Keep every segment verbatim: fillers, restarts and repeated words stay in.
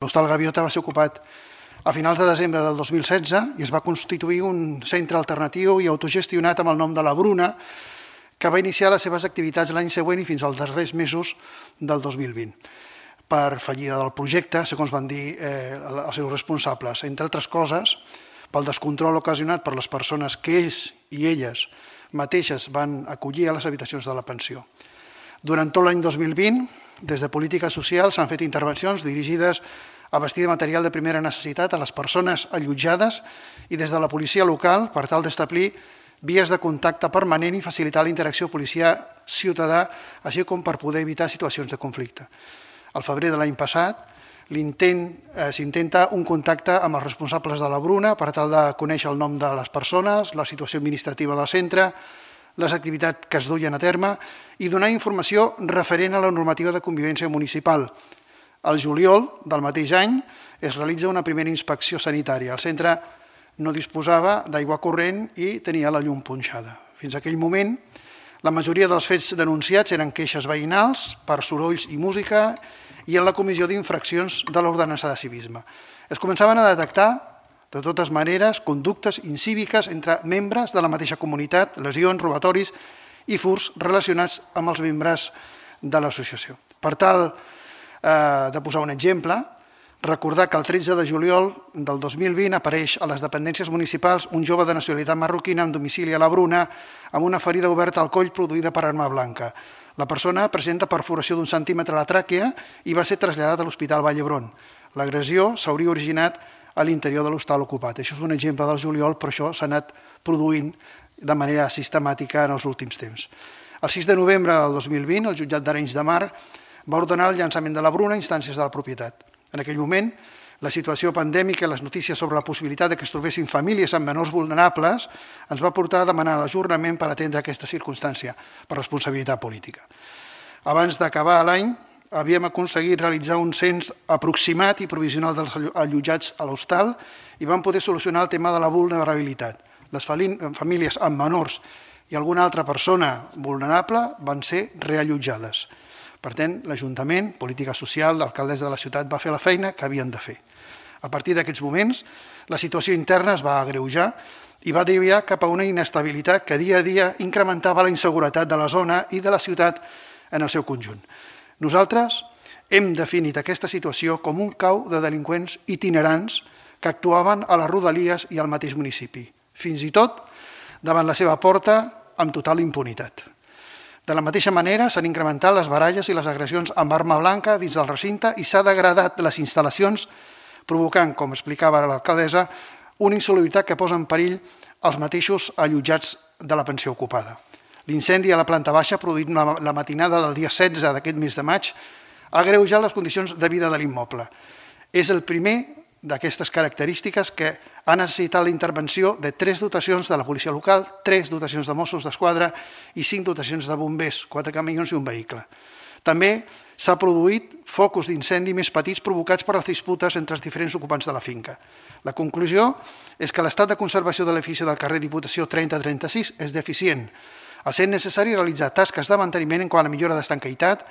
L'Hostal Gaviota va ser ocupat a finals de desembre del dos mil setze i es va constituir un centre alternatiu i autogestionat amb el nom de la Bruna, que va iniciar les seves activitats l'any següent i fins als darrers mesos del dos mil vint. Per fallida del projecte, segons van dir eh, els seus responsables, entre altres coses, pel descontrol ocasionat per les persones que ells i elles mateixes van acollir a les habitacions de la pensió. Durant tot l'any dos mil vint, des de Polítiques Socials s'han fet intervencions dirigides a vestir de material de primera necessitat a les persones allotjades i des de la policia local per tal d'establir vies de contacte permanent i facilitar la interacció policia-ciutadà, així com per poder evitar situacions de conflicte. Al febrer de l'any passat s'intenta un contacte amb els responsables de la Bruna per tal de conèixer el nom de les persones, la situació administrativa del centre, les activitats que es duien a terme i donar informació referent a la normativa de convivència municipal. Al juliol del mateix any es realitza una primera inspecció sanitària. El centre no disposava d'aigua corrent i tenia la llum punxada. Fins a aquell moment, la majoria dels fets denunciats eren queixes veïnals per sorolls i música i en la comissió d'infraccions de l'ordenança de civisme. Es començaven a detectar, de totes maneres, conductes incíviques entre membres de la mateixa comunitat, lesions, robatoris i furts relacionats amb els membres de l'associació. Per tal de posar un exemple, recordar que el tretze de juliol del dos mil vint apareix a les dependències municipals un jove de nacionalitat marroquina amb domicili a la Bruna amb una ferida oberta al coll produïda per arma blanca. La persona presenta perforació d'un centímetre a la tràquea i va ser traslladat a l'Hospital Vall d'Hebron. L'agressió s'hauria originat a l'interior de l'hostal ocupat. Això és un exemple del juliol, però això s'ha anat produint de manera sistemàtica en els últims temps. El sis de novembre del dos mil vint, el jutjat d'Arenys de Mar va ordenar el llançament de la Bruna a instàncies de la propietat. En aquell moment, la situació pandèmica i les notícies sobre la possibilitat que es trobessin famílies amb menors vulnerables ens va portar a demanar l'ajornament per atendre aquesta circumstància per responsabilitat política. Abans d'acabar l'any, havíem aconseguit realitzar un cens aproximat i provisional dels allotjats a l'hostal i vam poder solucionar el tema de la vulnerabilitat. Les famílies amb menors i alguna altra persona vulnerable van ser reallotjades. Per tant, l'Ajuntament, Política Social, l'alcaldessa de la ciutat va fer la feina que havien de fer. A partir d'aquests moments, la situació interna es va agreujar i va derivar cap a una inestabilitat que dia a dia incrementava la inseguretat de la zona i de la ciutat en el seu conjunt. Nosaltres hem definit aquesta situació com un cau de delinqüents itinerants que actuaven a les rodalies i al mateix municipi, fins i tot davant la seva porta amb total impunitat. De la mateixa manera, s'han incrementat les baralles i les agressions amb arma blanca dins del recinte i s'ha degradat les instal·lacions, provocant, com explicava l'alcaldessa, una insalubritat que posa en perill els mateixos allotjats de la pensió ocupada. L'incendi a la planta baixa, produït la matinada del dia setze d'aquest mes de maig, ha agreujat les condicions de vida de l'immoble. És el primer d'aquestes característiques que ha necessitat la intervenció de tres dotacions de la policia local, tres dotacions de Mossos d'Esquadra i cinc dotacions de bombers, quatre camions i un vehicle. També s'ha produït focus d'incendi més petits provocats per les disputes entre els diferents ocupants de la finca. La conclusió és que l'estat de conservació de l'edifici del carrer Diputació trenta trenta-sis és deficient, essent necessari realitzar tasques de manteniment en quant a millora d'estanquitat,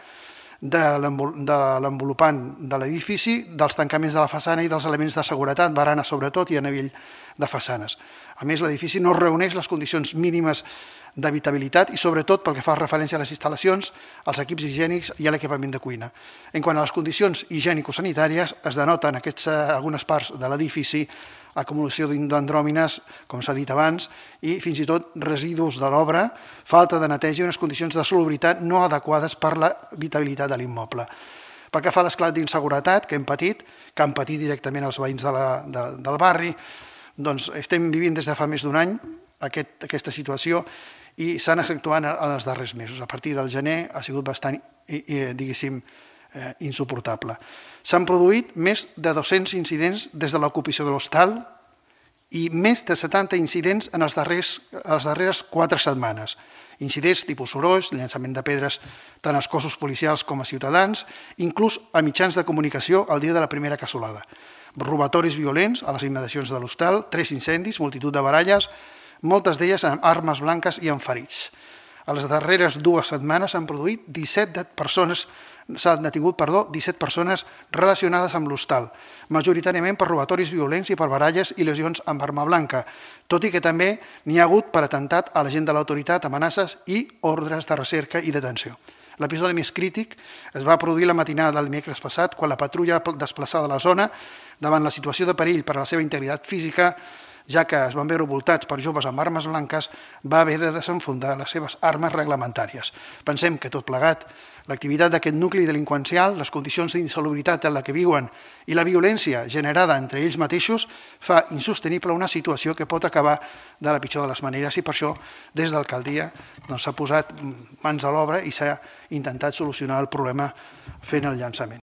de l'envolupant de l'edifici, dels tancaments de la façana i dels elements de seguretat, barana sobretot i a nivell de façanes. A més, l'edifici no reuneix les condicions mínimes d'habitabilitat i sobretot pel que fa referència a les instal·lacions, als equips higiènics i a l'equipament de cuina. En quant a les condicions higiènico-sanitàries, es denoten en algunes parts de l'edifici acumulació d'andròmines, com s'ha dit abans, i fins i tot residus de l'obra, falta de neteja i unes condicions de salubritat no adequades per l'habitabilitat de l'immoble. Pel que fa a l'esclat d'inseguretat que hem patit, que han patit directament els veïns del barri, doncs estem vivint des de fa més d'un any aquesta situació i s'han actuat en els darrers mesos. A partir del gener ha sigut bastant, diguéssim, insuportable. S'han produït més de dos-cents incidents des de l'ocupació de l'hostal i més de setanta incidents en les darreres quatre setmanes. Incidents tipus sorolls, llançament de pedres tant als cossos policials com a ciutadans, inclús a mitjans de comunicació el dia de la primera cassolada. Robatoris violents a les immediacions de l'hostal, tres incendis, multitud de baralles, moltes d'elles amb armes blanques i amb ferits. A les darreres dues setmanes s'han produït disset persones s'han detingut perdó, disset persones relacionades amb l'hostal, majoritàriament per robatoris violents i per baralles i lesions amb arma blanca, tot i que també n'hi ha hagut per atemptat a l'agent de l'autoritat, amenaces i ordres de recerca i detenció. L'episodi més crític es va produir la matinada del dimecres passat, quan la patrulla desplaçada a la zona, davant la situació de perill per a la seva integritat física, ja que es van veure voltats per joves amb armes blanques, va haver de desenfundar les seves armes reglamentàries. Pensem que tot plegat, l'activitat d'aquest nucli delinqüencial, les condicions d'insalubritat en la que viuen i la violència generada entre ells mateixos fa insostenible una situació que pot acabar de la pitjor de les maneres, i per això des d'alcaldia s'ha posat mans a l'obra i s'ha intentat solucionar el problema fent el llançament.